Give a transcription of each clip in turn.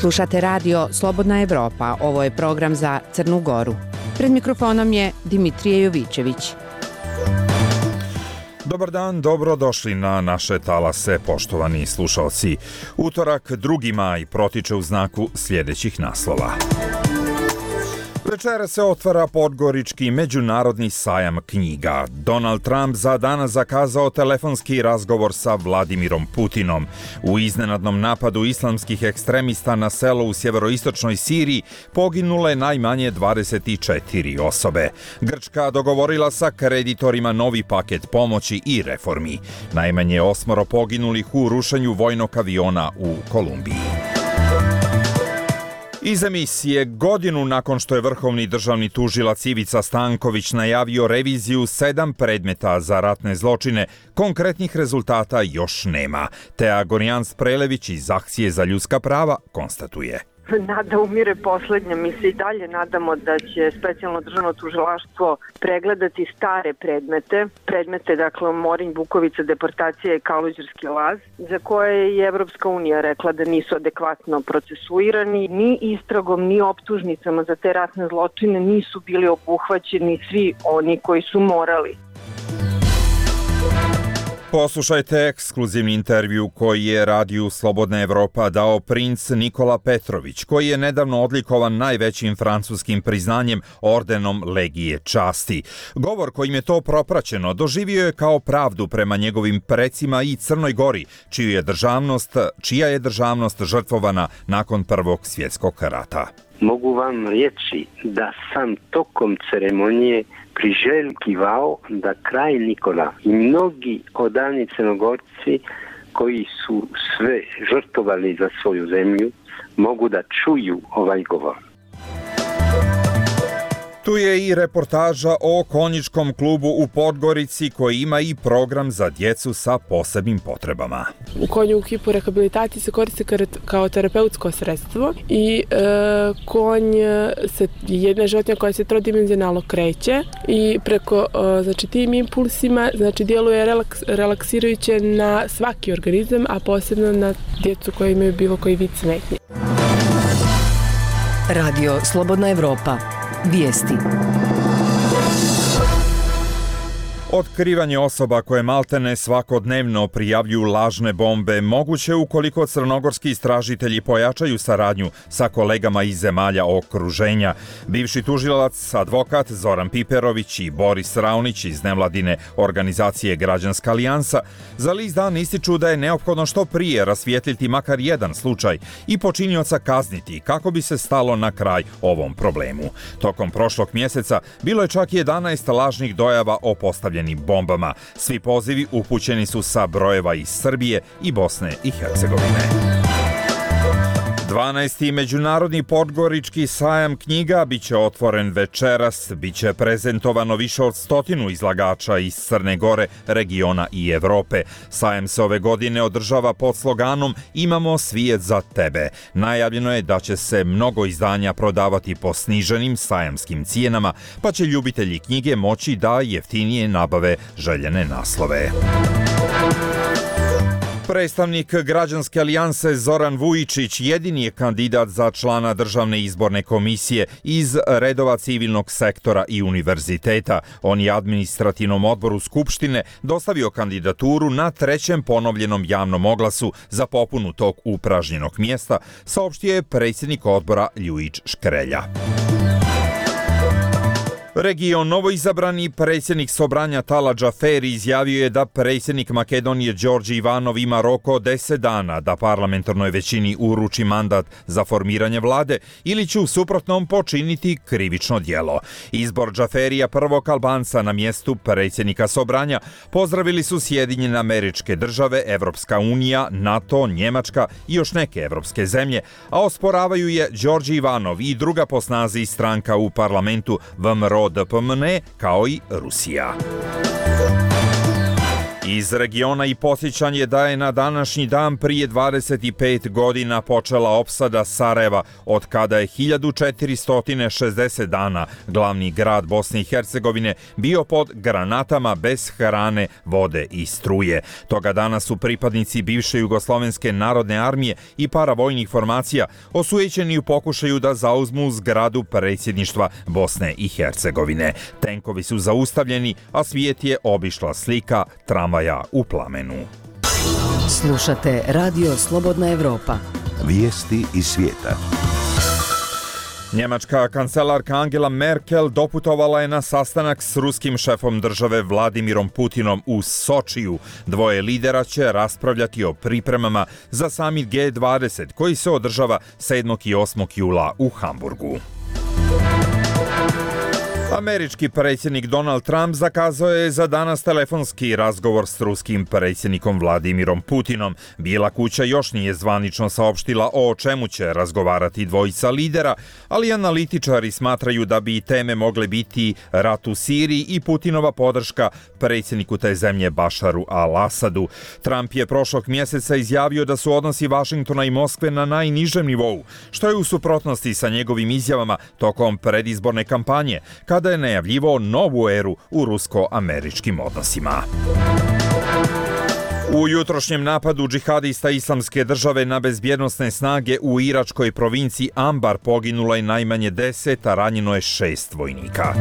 Slušate radio Slobodna Evropa, ovo je program za Crnu Goru. Pred mikrofonom je Dimitrije Jovićević. Dobar dan, dobrodošli na naše talase, poštovani slušalci. Utorak, 2. maj, protiče u znaku sljedećih naslova. Večera se otvara Podgorički međunarodni sajam knjiga. Donald Trump za danas zakazao telefonski razgovor sa Vladimirom Putinom. U iznenadnom napadu islamskih ekstremista na selo u sjeveroistočnoj Siriji poginule najmanje 24 osobe. Grčka dogovorila sa kreditorima novi paket pomoći i reformi. Najmanje 8 poginulih u rušenju vojnog aviona u Kolumbiji. Iz emisije, godinu nakon što je vrhovni državni tužilac Ivica Stanković najavio reviziju 7 predmeta za ratne zločine, konkretnih rezultata još nema. Tea Gorjans-Prelević iz Akcije za ljudska prava konstatuje. Nada umire poslednja. Mi se i dalje nadamo da će specijalno državno tužilaštvo pregledati stare predmete, dakle Morinj, Bukovica, deportacija i Kaluđerski laz, za koje je i Evropska unija rekla da nisu adekvatno procesuirani. Ni istragom, ni optužnicama za te ratne zločine nisu bili obuhvaćeni svi oni koji su morali. Poslušajte ekskluzivni intervju koji je radiju Slobodna Evropa dao princ Nikola Petrović, koji je nedavno odlikovan najvećim francuskim priznanjem ordenom Legije časti. Govor kojim je to propraćeno doživio je kao pravdu prema njegovim precima i Crnoj Gori, čija je državnost žrtvovana nakon Prvog svjetskog rata. Mogu vam reći da sam tokom ceremonije priželjkivao da kralj Nikola i mnogi odani Crnogorci koji su sve žrtvovali za svoju zemlju mogu da čuju ovaj govor. Tu je i reportaža o konjičkom klubu u Podgorici koji ima i program za djecu sa posebnim potrebama. Konj u hipu rehabilitaciji se koristi kao terapeutsko sredstvo i konj je jedna životinja koja se trodimenzionalno kreće i preko tim impulsima djeluje relaksirajuće na svaki organizam, a posebno na djecu koji imaju bilo koji vid smetnje. Radio Slobodna Evropa. Vijesti. Otkrivanje osoba koje maltene svakodnevno prijavljuju lažne bombe moguće ukoliko crnogorski istražitelji pojačaju saradnju sa kolegama iz zemalja okruženja. Bivši tužilac, advokat Zoran Piperović i Boris Raunić iz nevladine organizacije Građanska alijansa za list Dan ističu da je neophodno što prije rasvijetliti makar jedan slučaj i počinioca kazniti kako bi se stalo na kraj ovom problemu. Tokom prošlog mjeseca bilo je čak 11 lažnih dojava o postavljenim bombama. Svi pozivi upućeni su sa brojeva iz Srbije i Bosne i Hercegovine. 12. međunarodni Podgorički sajam knjiga biće otvoren večeras, biće prezentovano više od 100 izlagača iz Crne Gore, regiona i Evrope. Sajam se ove godine održava pod sloganom Imamo svijet za tebe. Najavljeno je da će se mnogo izdanja prodavati po sniženim sajamskim cijenama, pa će ljubitelji knjige moći da jeftinije nabave željene naslove. Predstavnik Građanske alijanse Zoran Vujičić jedini je kandidat za člana Državne izborne komisije iz redova civilnog sektora i univerziteta. On je administrativnom odboru Skupštine dostavio kandidaturu na 3. ponovljenom javnom oglasu za popunu tog upražnjenog mjesta, saopštio je predsjednik odbora Ljujić Škrelja. Region novoizabrani predsjednik Sobranja Tala Džaferi izjavio je da predsjednik Makedonije Đorđe Ivanov ima rok od 10 dana da parlamentarnoj većini uruči mandat za formiranje vlade ili će u suprotnom počiniti krivično djelo. Izbor Džaferija, prvog Albanca na mjestu predsjednika Sobranja, pozdravili su Sjedinjene Američke Države, Evropska unija, NATO, Njemačka i još neke evropske zemlje, a osporavaju je Đorđe Ivanov i druga po snazi stranka u parlamentu VMRO DPMNE, kao i Rusija. Iz regiona i podsjećanje da je na današnji dan prije 25 godina počela opsada Sarajeva, od kada je 1460 dana glavni grad Bosne i Hercegovine bio pod granatama bez hrane, vode i struje. Toga dana su pripadnici bivše Jugoslovenske narodne armije i paravojnih formacija osujećeni u pokušaju da zauzmu zgradu predsjedništva Bosne i Hercegovine. Tenkovi su zaustavljeni, a svijet je obišla slika tramvaja u plamenu. Slušate Radio Slobodna Evropa. Vijesti iz svijeta. Njemačka kancelarka Angela Merkel doputovala je na sastanak s ruskim šefom države Vladimirom Putinom u Sočiju. Dvoje lidera će raspravljati o pripremama za samit G20 koji se održava 7. i 8. jula u Hamburgu. Američki predsjednik Donald Trump zakazao je za danas telefonski razgovor s ruskim predsjednikom Vladimirom Putinom. Bijela kuća još nije zvanično saopštila o čemu će razgovarati dvojica lidera, ali analitičari smatraju da bi teme mogle biti rat u Siriji i Putinova podrška predsjedniku te zemlje Bašaru al-Asadu. Trump je prošlog mjeseca izjavio da su odnosi Vašingtona i Moskve na najnižem nivou, što je u suprotnosti sa njegovim izjavama tokom predizborne kampanje, kada je najavljivao novu eru u rusko-američkim odnosima. U jutrošnjem napadu džihadista Islamske države na bezbjednosne snage u iračkoj provinciji Ambar poginulo je najmanje 10, a ranjeno je 6 vojnika.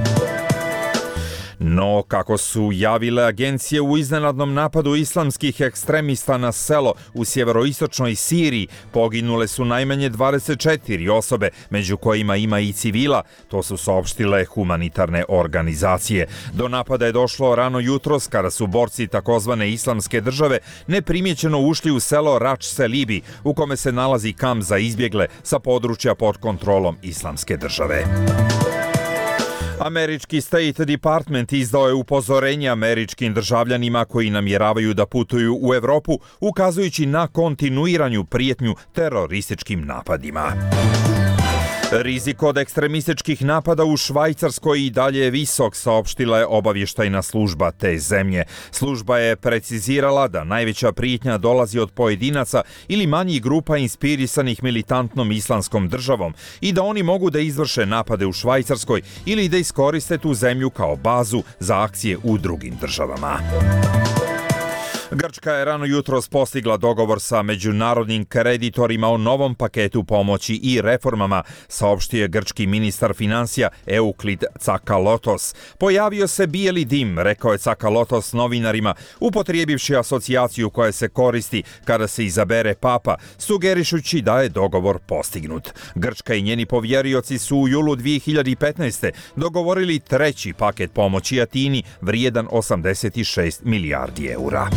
No, kako su javile agencije, u iznenadnom napadu islamskih ekstremista na selo u sjeveroistočnoj Siriji poginule su najmanje 24 osobe, među kojima ima i civila, to su saopštile humanitarne organizacije. Do napada je došlo rano jutros kada su borci takozvane Islamske države neprimjećeno ušli u selo Rač Selibi, u kome se nalazi kamp za izbjegle sa područja pod kontrolom Islamske države. Američki State Department izdao je upozorenje američkim državljanima koji namjeravaju da putuju u Evropu, ukazujući na kontinuiranju prijetnju terorističkim napadima. Rizik od ekstremističkih napada u Švajcarskoj i dalje je visok, saopštila je obavještajna služba te zemlje. Služba je precizirala da najveća prijetnja dolazi od pojedinaca ili manjih grupa inspirisanih militantnom islamskom državom i da oni mogu da izvrše napade u Švajcarskoj ili da iskoriste tu zemlju kao bazu za akcije u drugim državama. Grčka je rano jutros postigla dogovor sa međunarodnim kreditorima o novom paketu pomoći i reformama, saopštio je grčki ministar financija Euklid Tsakalotos. Pojavio se bijeli dim, rekao je Tsakalotos novinarima, upotrijebivši asocijaciju koja se koristi kada se izabere papa, sugerišući da je dogovor postignut. Grčka i njeni povjerioci su u julu 2015. dogovorili treći paket pomoći Atini vrijedan 86 milijardi eura.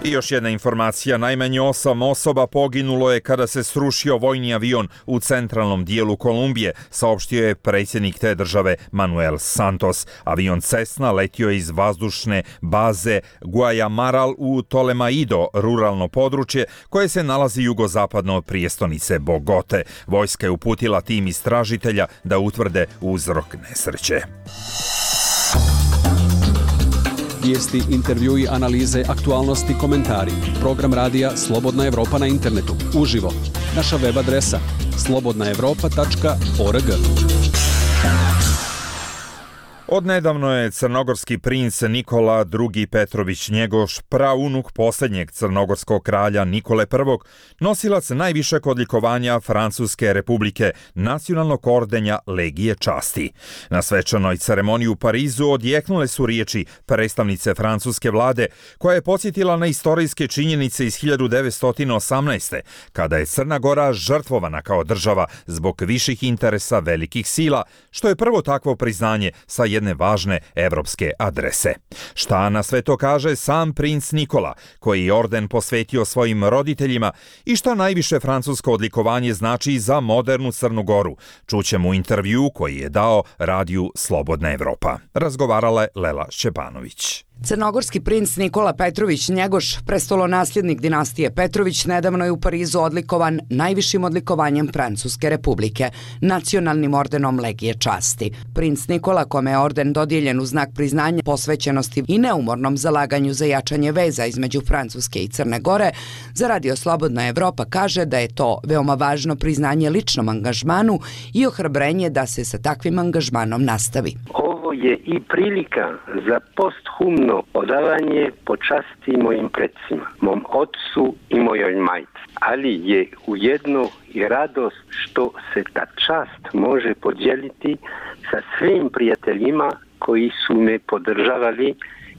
I još jedna informacija, najmanje 8 osoba poginulo je kada se srušio vojni avion u centralnom dijelu Kolumbije, saopštio je predsjednik te države Manuel Santos. Avion Cessna letio je iz vazdušne baze Guayamaral u Tolemaido, ruralno područje koje se nalazi jugozapadno od prijestolnice Bogote. Vojska je uputila tim istražitelja da utvrde uzrok nesreće. Vijesti, intervjui, analize, aktualnosti, komentari. Program radija Slobodna Evropa na internetu. Uživo. Naša web adresa slobodnaevropa.org. Odnedavno je crnogorski princ Nikola II. Petrović Njegoš, praunuk posljednjeg crnogorskog kralja Nikole I, nosilac najvišeg odlikovanja Francuske republike, nacionalnog ordenja Legije časti. Na svečanoj ceremoniji u Parizu odjeknule su riječi predstavnice francuske vlade, koja je podsjetila na istorijske činjenice iz 1918. kada je Crna Gora žrtvovana kao država zbog viših interesa velikih sila, što je prvo takvo priznanje sa jedne važne evropske adrese. Šta na sve to kaže sam princ Nikola, koji je orden posvetio svojim roditeljima, i šta najviše francusko odlikovanje znači za modernu Crnu Goru? Čućemo u intervju koji je dao radiju Slobodna Evropa. Razgovarala je Lela Šćepanović. Crnogorski princ Nikola Petrović Njegoš, prestolonasljednik dinastije Petrović, nedavno je u Parizu odlikovan najvišim odlikovanjem Francuske republike, nacionalnim ordenom Legije časti. Princ Nikola, kome je orden dodijeljen u znak priznanja posvećenosti i neumornom zalaganju za jačanje veza između Francuske i Crne Gore, za Radio Slobodna Evropa kaže da je to veoma važno priznanje ličnom angažmanu i ohrabrenje da se sa takvim angažmanom nastavi. Ovo je i prilika za posthumno odavanje počasti mojim predsima, mom ocu i mojoj majci. Ali je ujedno i radost što se ta čast može podijeliti sa svim prijateljima koji su me podržavali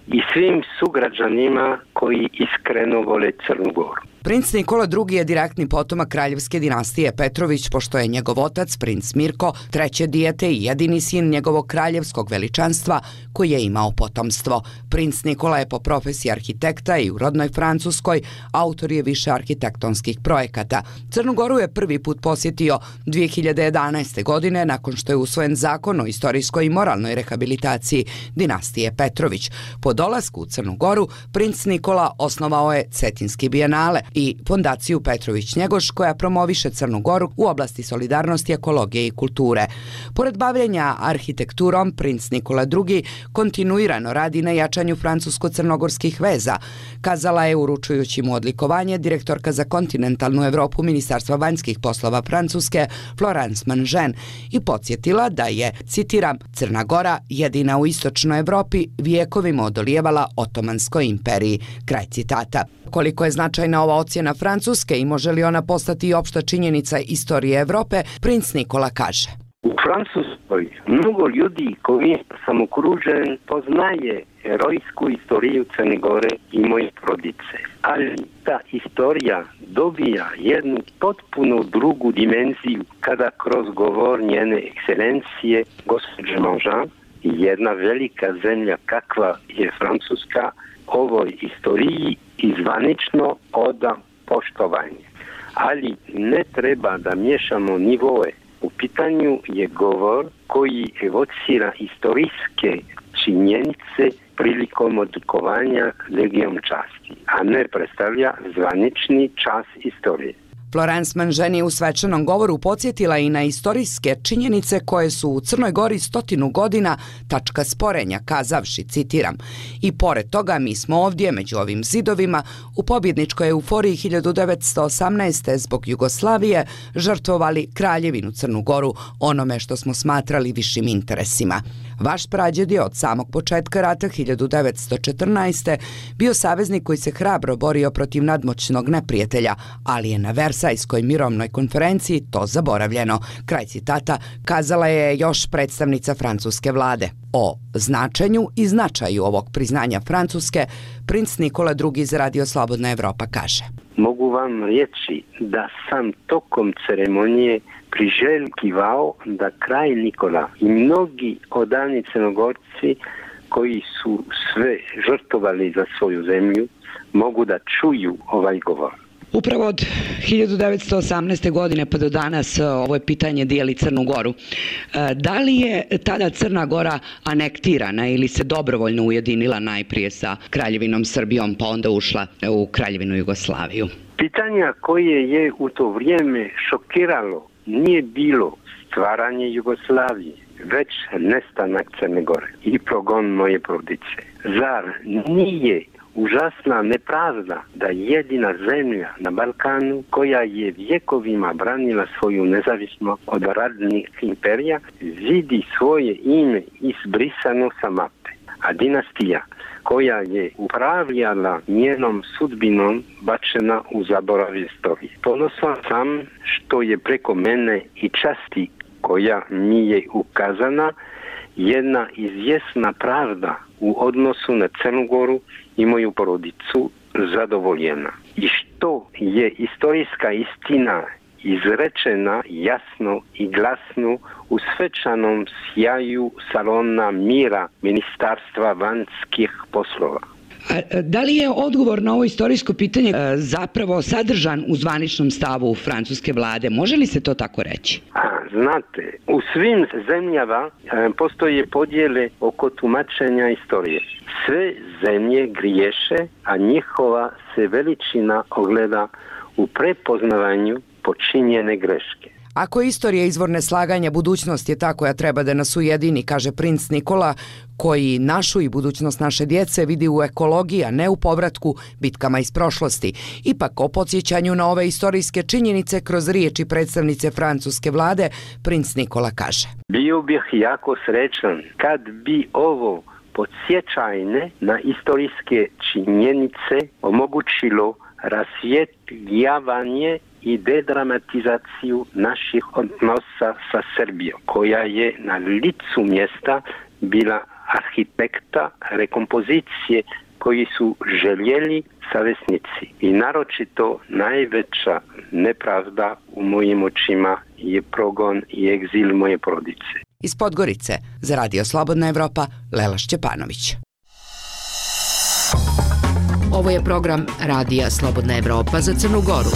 i svim sugrađanima koji iskreno vole Crnu Goru. Princ Nikola II je direktni potomak kraljevske dinastije Petrović, pošto je njegov otac, princ Mirko, treće dijete i jedini sin njegovog kraljevskog veličanstva koji je imao potomstvo. Princ Nikola je po profesiji arhitekta i u rodnoj Francuskoj, autor je više arhitektonskih projekata. Crnu Goru je prvi put posjetio 2011. godine nakon što je usvojen zakon o istorijskoj i moralnoj rehabilitaciji dinastije Petrović. Po dolasku u Crnu Goru, princ Nikola osnovao je Cetinski bijenale i fondaciju Petrović Njegoš koja promoviše Crnu Goru u oblasti solidarnosti, ekologije i kulture. Pored bavljenja arhitekturom, princ Nikola II kontinuirano radi na jačanju francusko-crnogorskih veza, kazala je uručujući mu odlikovanje direktorka za kontinentalnu Evropu Ministarstva vanjskih poslova Francuske Florence Manžen i podsjetila da je, citiram, Crna Gora jedina u istočnoj Evropi vijekovima odolijevala Otomanskoj imperiji. Kraj citata. Koliko je značajna ova ocjena Francuske i može li ona postati opšta činjenica istorije Evrope, princ Nikola kaže. U Francuskoj mnogo ljudi koji sam okružen poznaje herojsku istoriju Crne Gore i moje porodice. Ali ta istorija dobija jednu potpuno drugu dimenziju kada kroz govor njene ekscelencije gospođe Manžan, jedna velika zemlja kakva je Francuska, ovoj istoriji izvanično oda poštovanje. Ali ne treba da miješamo nivoe. U pitanju je govor koji evocira istorijske činjenice prilikom odlikovanja Legijom časti, a ne predstavlja zvanični čas istorije. Florence Manžen je u svečanom govoru podsjetila i na istorijske činjenice koje su u Crnoj Gori 100 godina tačka sporenja, kazavši, citiram, i pored toga mi smo ovdje među ovim zidovima u pobjedničkoj euforiji 1918. zbog Jugoslavije žrtvovali Kraljevinu Crnu Goru onome što smo smatrali višim interesima. Vaš prađed je od samog početka rata 1914. bio saveznik koji se hrabro borio protiv nadmoćnog neprijatelja, ali je na Versajskoj mirovnoj konferenciji to zaboravljeno. Kraj citata kazala je još predstavnica francuske vlade. O značenju i značaju ovog priznanja Francuske, princ Nikola II za Radio Slobodna Evropa kaže. Mogu vam reći da sam tokom ceremonije priželjkivao da kralj Nikola i mnogi odani Crnogorci koji su sve žrtvovali za svoju zemlju mogu da čuju ovaj govor. Upravo od 1918. godine pa do danas ovo pitanje dijeli Crnu Goru. Da li je tada Crna Gora anektirana ili se dobrovoljno ujedinila najprije sa Kraljevinom Srbijom pa onda ušla u Kraljevinu Jugoslaviju? Pitanja koje je u to vrijeme šokiralo nije bilo stvaranje Jugoslavije, već nestanak Crne Gore i progon moje porodice. Zar nije užasna nepravda da jedina zemlja na Balkanu koja je vjekovima branila svoju nezavisnost od radnih imperija vidi svoje ime izbrisano sa mape, a dinastija koja je upravljala njenom sudbinom bačena u zaborav istorije. Ponosan sam što je preko mene i časti koja mi je ukazana jedna izvjesna pravda u odnosu na Crnu Goru i moju porodicu zadovoljena. I što je istorijska istina izrečena jasno i glasno u svečanom sjaju salona mira Ministarstva vanjskih poslova. Da li je odgovor na ovo istorijsko pitanje zapravo sadržan u zvaničnom stavu francuske vlade? Može li se to tako reći? Znate, u svim zemljama postoje podjele oko tumačenja istorije. Sve zemlje griješe, a njihova se veličina ogleda u prepoznavanju počinjene greške. Ako je istorija izvor neslaganja, budućnost je ta koja treba da nas ujedini, kaže princ Nikola, koji našu i budućnost naše djece vidi u ekologiji, a ne u povratku bitkama iz prošlosti. Ipak o podsjećanju na ove istorijske činjenice kroz riječi predstavnice francuske vlade, princ Nikola kaže: Bio bih jako srećan kad bi ovo podsjećanje na istorijske činjenice omogućilo rasvjetljavanje i dedramatizaciju naših odnosa sa Srbijom, koja je na licu mjesta bila arhitekta rekompozicije koji su željeli saveznici. I naročito najveća nepravda u mojim očima je progon i egzil moje porodice. Iz Podgorice za Radio Slobodna Evropa, Lela Šćepanović. Ovo je program Radija Slobodna Evropa za Crnu Goru.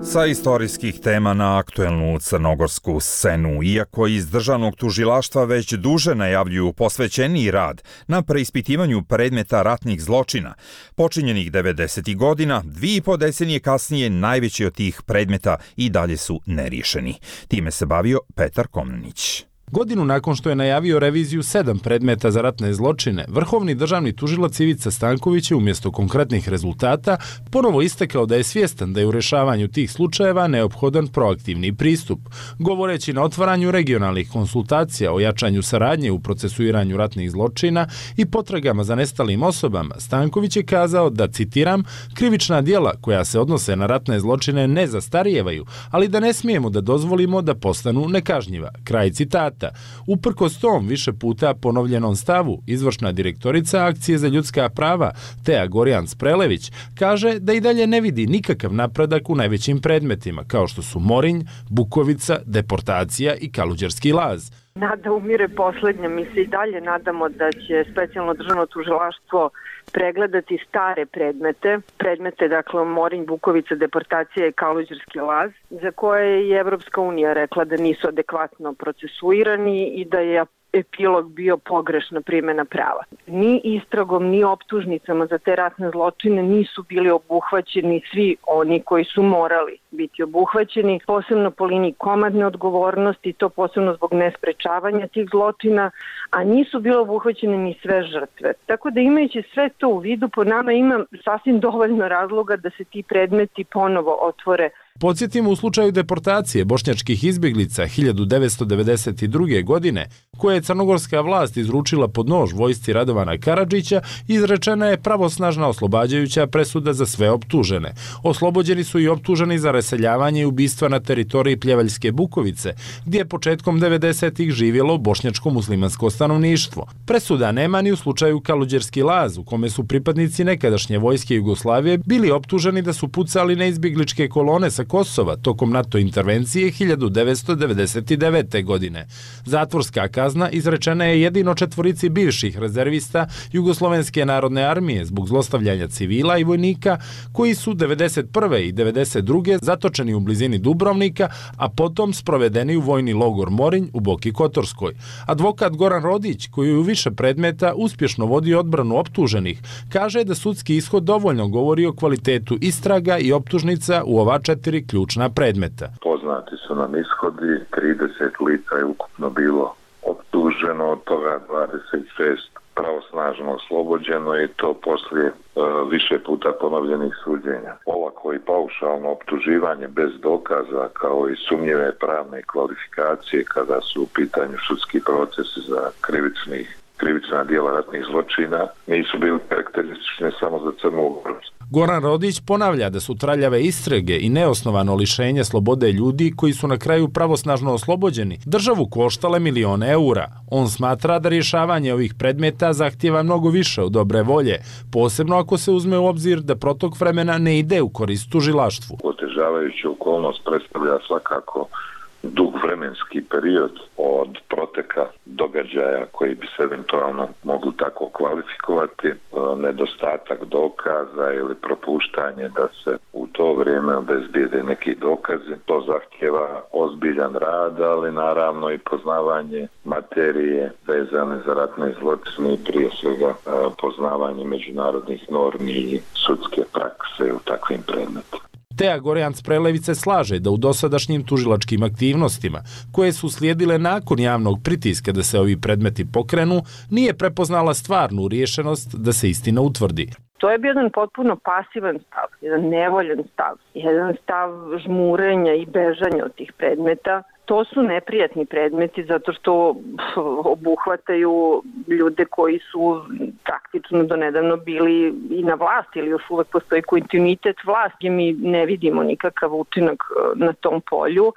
Sa istorijskih tema na aktuelnu crnogorsku scenu, iako iz državnog tužilaštva već duže najavljuju posvećeniji rad na preispitivanju predmeta ratnih zločina, počinjenih 90. godina, 2,5 decenije kasnije najveći od tih predmeta i dalje su neriješeni. Time se bavio Petar Komnenić. Godinu nakon što je najavio reviziju 7 predmeta za ratne zločine, vrhovni državni tužilac Ivica Stanković je umjesto konkretnih rezultata ponovo istakao da je svjestan da je u rješavanju tih slučajeva neophodan proaktivni pristup. Govoreći na otvaranju regionalnih konsultacija o jačanju saradnje u procesuiranju ratnih zločina i potragama za nestalim osobama, Stanković je kazao da, citiram, krivična djela koja se odnose na ratne zločine ne zastarijevaju, ali da ne smijemo da dozvolimo da postanu nekažnjiva. Kraj citata. Uprkos tom više puta ponovljenom stavu, izvršna direktorica Akcije za ljudska prava Teja Gorjan-Sprelević kaže da i dalje ne vidi nikakav napredak u najvećim predmetima, kao što su Morinj, Bukovica, deportacija i Kaluđerski laz. Nada umire poslednja. Mi se i dalje nadamo da će specijalno državno tužilaštvo pregledati stare predmete, dakle Morinj, Bukovica, deportacija i Kaluđerski laz, za koje je Evropska unija rekla da nisu adekvatno procesuirani i da je epilog bio pogrešna primjena prava. Ni istragom, ni optužnicama za te ratne zločine nisu bili obuhvaćeni svi oni koji su morali biti obuhvaćeni, posebno po liniji komadne odgovornosti, to posebno zbog nesprečavanja tih zločina, a nisu bile obuhvaćene ni sve žrtve. Tako da imajući sve to u vidu, po nama ima sasvim dovoljno razloga da se ti predmeti ponovo otvore. Podsjetimo u slučaju deportacije bošnjačkih izbjeglica 1992. godine, koje je crnogorska vlast izručila pod nož vojsci Radovana Karadžića, izrečena je pravosnažna oslobađajuća presuda za sve optužene. Oslobođeni su i optuženi za raseljavanje i ubistva na teritoriji Pljevaljske Bukovice, gdje je početkom 90-ih živjelo bošnjačko muslimansko stanovništvo. Presuda nema ni u slučaju Kaluđerski laz, u kome su pripadnici nekadašnje vojske Jugoslavije bili optuženi da su pucali na izbjegličke kolone sa Kosova tokom NATO intervencije 1999. godine. Zatvorska kazna izrečena je jedino 4 bivših rezervista Jugoslovenske narodne armije zbog zlostavljanja civila i vojnika koji su 1991. i 1992. zatočeni u blizini Dubrovnika, a potom sprovedeni u vojni logor Morinj u Boki Kotorskoj. Advokat Goran Rodić, koji u više predmeta uspješno vodi odbranu optuženih, kaže da sudski ishod dovoljno govori o kvalitetu istraga i optužnica u ova 4 ključna predmeta. Poznati su nam ishodi, 30 lica je ukupno bilo optuženo, od toga 26 pravosnažno oslobođeno i to poslije više puta ponovljenih suđenja. Olako i paušalno optuživanje bez dokaza kao i sumnjive pravne kvalifikacije kada su u pitanju sudski procesi za krivična djela ratnih zločina nisu bili karakteristične samo za Crnu Goru. Goran Rodić ponavlja da su traljave istrage i neosnovano lišenje slobode ljudi koji su na kraju pravosnažno oslobođeni državu koštale milione eura. On smatra da rješavanje ovih predmeta zahtijeva mnogo više od dobre volje, posebno ako se uzme u obzir da protok vremena ne ide u korist tužilaštvu. Otežavajuća okolnost predstavlja svakako dug vremenski period od proteka događaja koji bi se eventualno mogli tako kvalifikovati, nedostatak dokaza ili propuštanje da se u to vrijeme obezbijede neki dokazi. To zahtjeva ozbiljan rad, ali naravno i poznavanje materije vezane za ratne zločine i prije svega poznavanje međunarodnih normi i sudske prakse u takvim predmetima. Teja Gorjanc-Prelević se slaže da u dosadašnjim tužilačkim aktivnostima, koje su slijedile nakon javnog pritiska da se ovi predmeti pokrenu, nije prepoznala stvarnu riješenost da se istina utvrdi. To je bio jedan potpuno pasivan stav, jedan nevoljan stav, jedan stav žmurenja i bežanja od tih predmeta. To su neprijatni predmeti zato što obuhvataju ljude koji su praktično donedavno bili i na vlasti ili još uvek postoji kontinuitet vlasti. Mi ne vidimo nikakav učinak na tom polju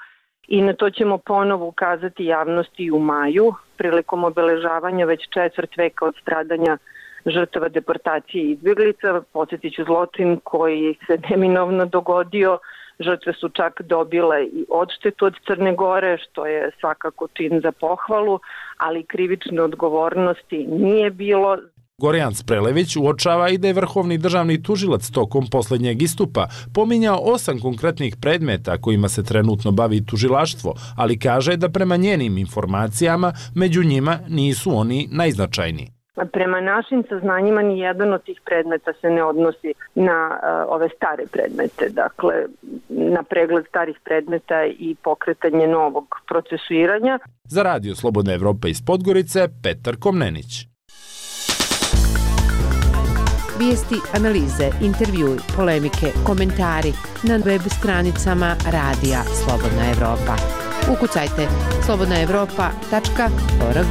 i na to ćemo ponovo ukazati javnosti u maju prilikom obeležavanja već 1/4 veka od stradanja žrtava deportacije i izbjeglica. Podsjetit ću zločin koji se neminovno dogodio. Žrtve su čak dobile i odštetu od Crne Gore, što je svakako čin za pohvalu, ali krivične odgovornosti nije bilo. Gorjanc-Prelević uočava i da je vrhovni državni tužilac tokom posljednjeg istupa pominjao 8 konkretnih predmeta kojima se trenutno bavi tužilaštvo, ali kaže da prema njenim informacijama među njima nisu oni najznačajniji. Prema našim saznanjima ni jedan od tih predmeta se ne odnosi na ove stare predmete, dakle na pregled starih predmeta i pokretanje novog procesuiranja. Za Radio Slobodna Evropa iz Podgorice, Petar Komnenić. Vijesti, analize, intervjui, polemike, komentari na web stranicama Radija Slobodna Evropa. Ukucajte slobodnaevropa.org.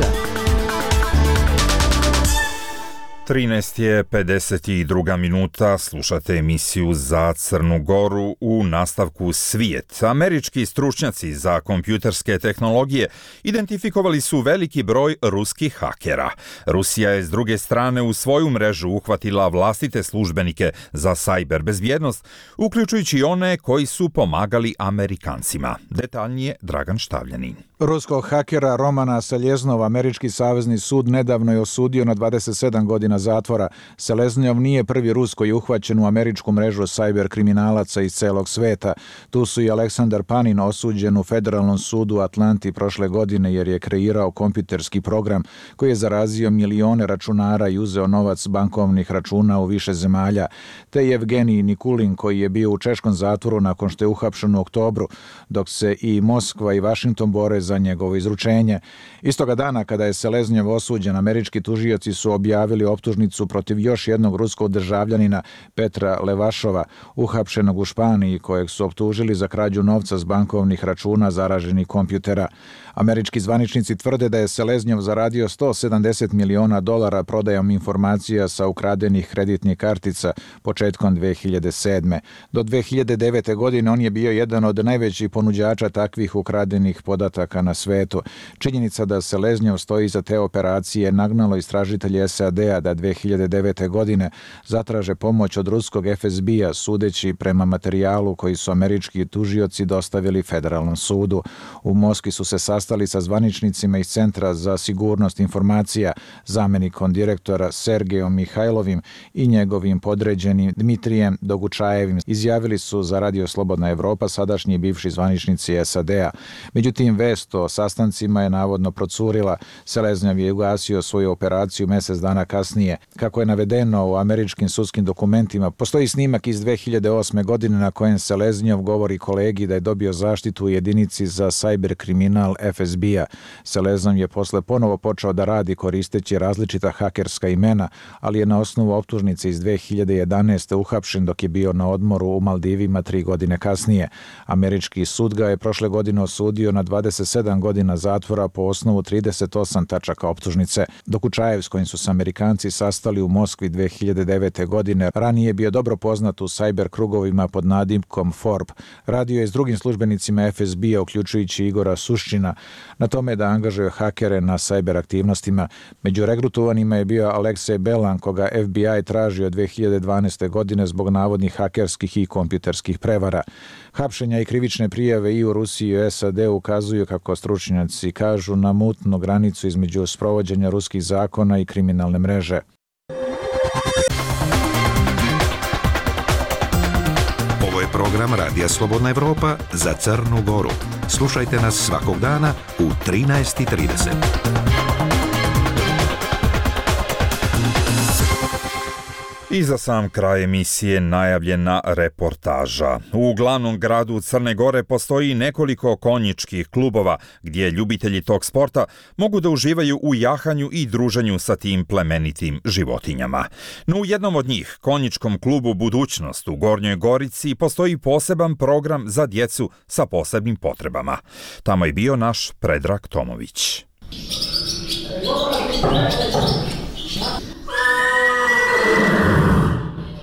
13:52 minuta, slušate emisiju Za Crnu Goru. U nastavku Svijet. Američki stručnjaci za kompjuterske tehnologije identifikovali su veliki broj ruskih hakera. Rusija je s druge strane u svoju mrežu uhvatila vlastite službenike za cyber bezbjednost, uključujući one koji su pomagali Amerikancima. Detaljnije Dragan Štavljanin. Ruskog hakera Romana Seljeznova američki savezni sud nedavno je osudio na 27 godina zatvora. Seleznjov nije prvi Rus koji je uhvaćen u američku mrežu cyber kriminalaca iz celog sveta. Tu su i Aleksandar Panin osuđen u Federalnom sudu u Atlanti prošle godine jer je kreirao kompjuterski program koji je zarazio milione računara i uzeo novac bankovnih računa u više zemalja. Te Evgenij Nikulin koji je bio u češkom zatvoru nakon što je uhapšen u oktobru, dok se i Moskva i Vašington bore za njegovo izručenje. Istoga dana kada je Seleznjov osuđen, američki tužioci su objavili optužnicu protiv još jednog ruskog državljanina Petra Levašova, uhapšenog u Španiji, kojeg su optužili za krađu novca s bankovnih računa zaraženih kompjutera. Američki zvaničnici tvrde da je Seleznjov zaradio $170 miliona prodajom informacija sa ukradenih kreditnih kartica početkom 2007. Do 2009. godine on je bio jedan od najvećih ponuđača takvih ukradenih podataka na svetu. Činjenica da Seleznjov stoji za te operacije nagnalo istražitelji SAD-a da 2009. godine zatraže pomoć od ruskog FSB-a, sudeći prema materijalu koji su američki tužioci dostavili Federalnom sudu. U Moskvi su se sastali sa zvaničnicima iz Centra za sigurnost informacija, zamjenikom direktora Sergejom Mihajlovim i njegovim podređenim Dmitrijem Dogučajevim. Izjavili su za Radio Slobodna Evropa sadašnji i bivši zvaničnici SAD-a. Međutim, vest o sastancima je navodno procurila. Seleznjov je ugasio svoju operaciju mjesec dana kasnije. Kako je navedeno u američkim sudskim dokumentima, postoji snimak iz 2008. godine na kojem Seleznjov govori kolegi da je dobio zaštitu u jedinici za cyber kriminal FSB-a. Seleznjov je posle ponovo počeo da radi koristeći različita hakerska imena, ali je na osnovu optužnice iz 2011. uhapšen dok je bio na odmoru u Maldivima 3 godine kasnije. Američki sud ga je prošle godine osudio na 27 27 godina zatvora po osnovu 38 tačaka optužnice. Dokučajev, s kojim su se Amerikanci sastali u Moskvi 2009. godine, ranije je bio dobro poznat u sajber krugovima pod nadimkom Forb. Radio je s drugim službenicima FSB-a, uključujući Igora Suščina, na tome da angažuje hakere na sajber aktivnostima. Među regrutovanima je bio Aleksej Belan, koga FBI tražio 2012. godine zbog navodnih hakerskih i kompjuterskih prevara. Hapšenja i krivične prijave i u Rusiji i u SAD ukazuju, kako stručnjaci kažu, na mutnu granicu između sprovođenja ruskih zakona i kriminalne mreže. Ovo je program Radija Slobodna Evropa za Crnu Goru. Slušajte nas svakog dana u 13:30. I za sam kraj emisije najavljena reportaža. U glavnom gradu Crne Gore postoji nekoliko konjičkih klubova gdje ljubitelji tog sporta mogu da uživaju u jahanju i druženju sa tim plemenitim životinjama. No u jednom od njih, konjičkom klubu Budućnost u Gornjoj Gorici, postoji poseban program za djecu sa posebnim potrebama. Tamo je bio naš Predrag Tomović.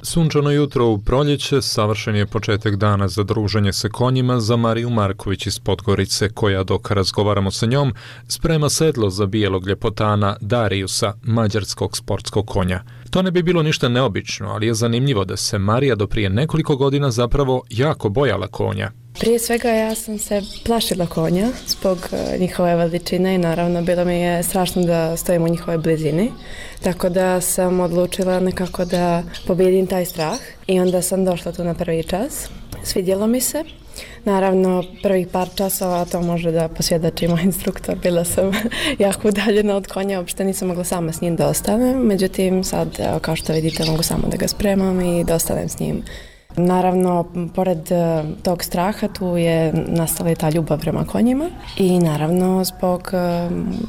Sunčano jutro u proljeće, savršen je početak dana za druženje sa konjima za Mariju Marković iz Podgorice, koja, dok razgovaramo sa njom, sprema sedlo za bijelog ljepotana Dariusa, mađarskog sportskog konja. To ne bi bilo ništa neobično, ali je zanimljivo da se Marija do prije nekoliko godina zapravo jako bojala konja. Prije svega ja sam se plašila konja zbog njihove veličine i naravno bilo mi je strašno da stojim u njihovoj blizini. Tako da sam odlučila nekako da pobijedim taj strah i onda sam došla tu na prvi čas. Svidjelo mi se. Naravno, prvih par časova, to može da posvjedoči moj instruktor, bila sam jako udaljena od konja, uopšte nisam mogla sama s njim da ostanem. Međutim, sad, kao što vidite, mogu samo da ga spremam i da ostanem s njim. Naravno, pored tog straha tu je nastala i ta ljubav prema konjima i naravno zbog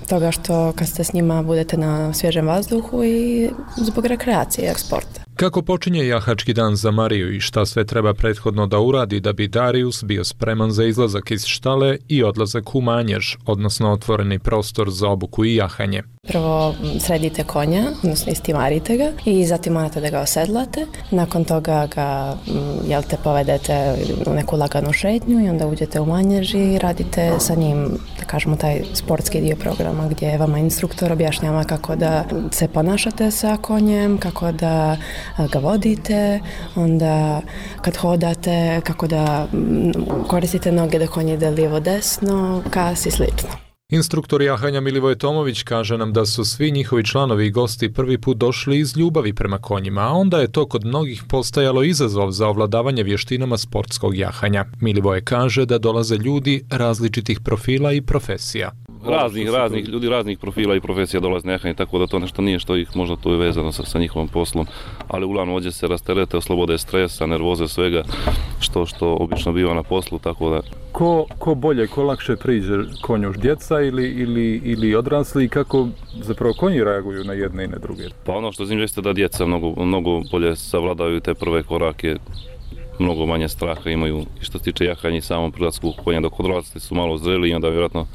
toga što kad ste s njima budete na svježem vazduhu i zbog rekreacije i sporta. Kako počinje jahački dan za Mariju i šta sve treba prethodno da uradi da bi Darius bio spreman za izlazak iz štale i odlazak u manjež, odnosno otvoreni prostor za obuku i jahanje? Prvo sredite konja, odnosno istimarite ga i zatim morate da ga osedlate. Nakon toga ga povedete u neku laganu šetnju i onda uđete u manjež i radite sa njim, da kažemo, taj sportski dio programa gdje vama instruktor objašnjava kako da se ponašate sa konjem, kako da ga vodite, onda kad hodate, kako da koristite noge da konj ide lijevo-desno, kas i slično. Instruktor jahanja Milivoj Tomović kaže nam da su svi njihovi članovi i gosti prvi put došli iz ljubavi prema konjima, a onda je to kod mnogih postajalo izazov za ovladavanje vještinama sportskog jahanja. Milivoj kaže da dolaze ljudi različitih profila i profesija. Raznih ljudi, raznih profila i profesija dolaze na jahanje, tako da to nešto nije što ih možda to je vezano sa njihovom poslom, ali uglavnom ovdje se rasterete, oslobode stresa, nervoze, svega što obično biva na poslu, tako da... Ko bolje, ko lakše priđe konju, djeca ili odrasli, i kako zapravo konji reaguju na jedne i na druge? Pa ono što znam jeste da djeca mnogo bolje savladaju te prve korake, mnogo manje straha imaju i što se tiče jahanja i samom prilasku konja, dok odrasli su malo zreli i onda vjerojatno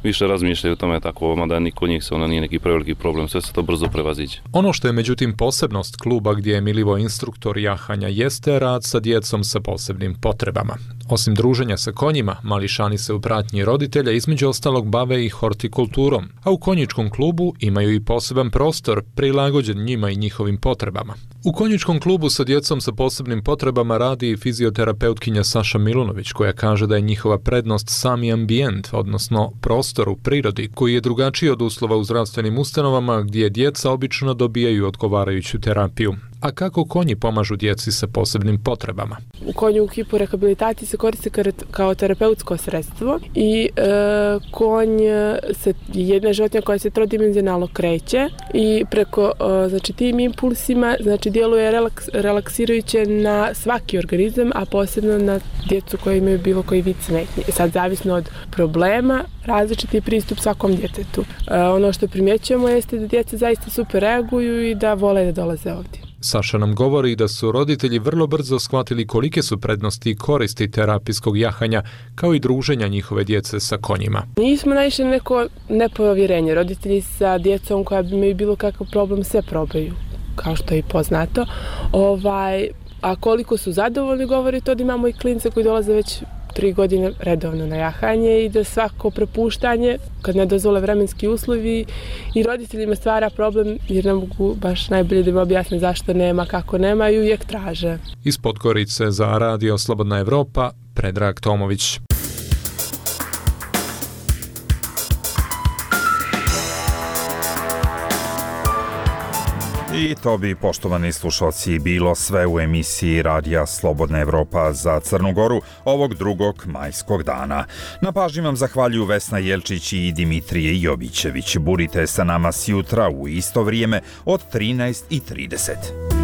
više razmišljaju o tome, tako, mada ni kod njih se nije neki preveliki problem, sve se to brzo prevaziđe. Ono što je međutim posebnost kluba gdje je Milivoj instruktor jahanja jeste rad sa djecom sa posebnim potrebama. Osim druženja sa konjima, mališani se u pratnji roditelja između ostalog bave i hortikulturom, a u konjičkom klubu imaju i poseban prostor prilagođen njima i njihovim potrebama. U konjičkom klubu sa djecom sa posebnim potrebama radi i fizioterapeutkinja Saša Milunović, koja kaže da je njihova prednost sami ambijent, odnosno prostor u prirodi, koji je drugačiji od uslova u zdravstvenim ustanovama gdje djeca obično dobijaju odgovarajuću terapiju. A kako konji pomažu djeci sa posebnim potrebama? Konj u hipu rehabilitaciji se koristi kao terapeutsko sredstvo i konj je jedna životinja koja se trodimenzionalno kreće i preko tim impulsima djeluje relaksirajuće na svaki organizam, a posebno na djecu koji imaju bilo koji vid smetnje. Sad, zavisno od problema, različiti pristup svakom djetetu. Ono što primjećujemo jeste da djeca zaista super reaguju i da vole da dolaze ovdje. Saša nam govori da su roditelji vrlo brzo shvatili kolike su prednosti i koristi terapijskog jahanja, kao i druženja njihove djece sa konjima. Nismo naišli na neko nepovjerenje. Roditelji sa djecom koja bi imaju bilo kakav problem sve probaju, kao što je i poznato. A koliko su zadovoljni govori to da imamo i klince koji dolaze već 3 godine redovno na jahanje i da svako prepuštanje, kad ne dozvole vremenski uslovi, i roditeljima stvara problem jer ne mogu baš najbolje da im objasne zašto nema, kako nema i uvijek traže. Iz Podgorice za Radio Slobodna Evropa, Predrag Tomović. I to bi, poštovani slušalci, bilo sve u emisiji Radija Slobodna Evropa za Crnu Goru ovog 2. majskog dana. Na pažnji vam zahvaljuju Vesna Jelčić i Dimitrije Jovićević. Budite sa nama sjutra u isto vrijeme od 13:30.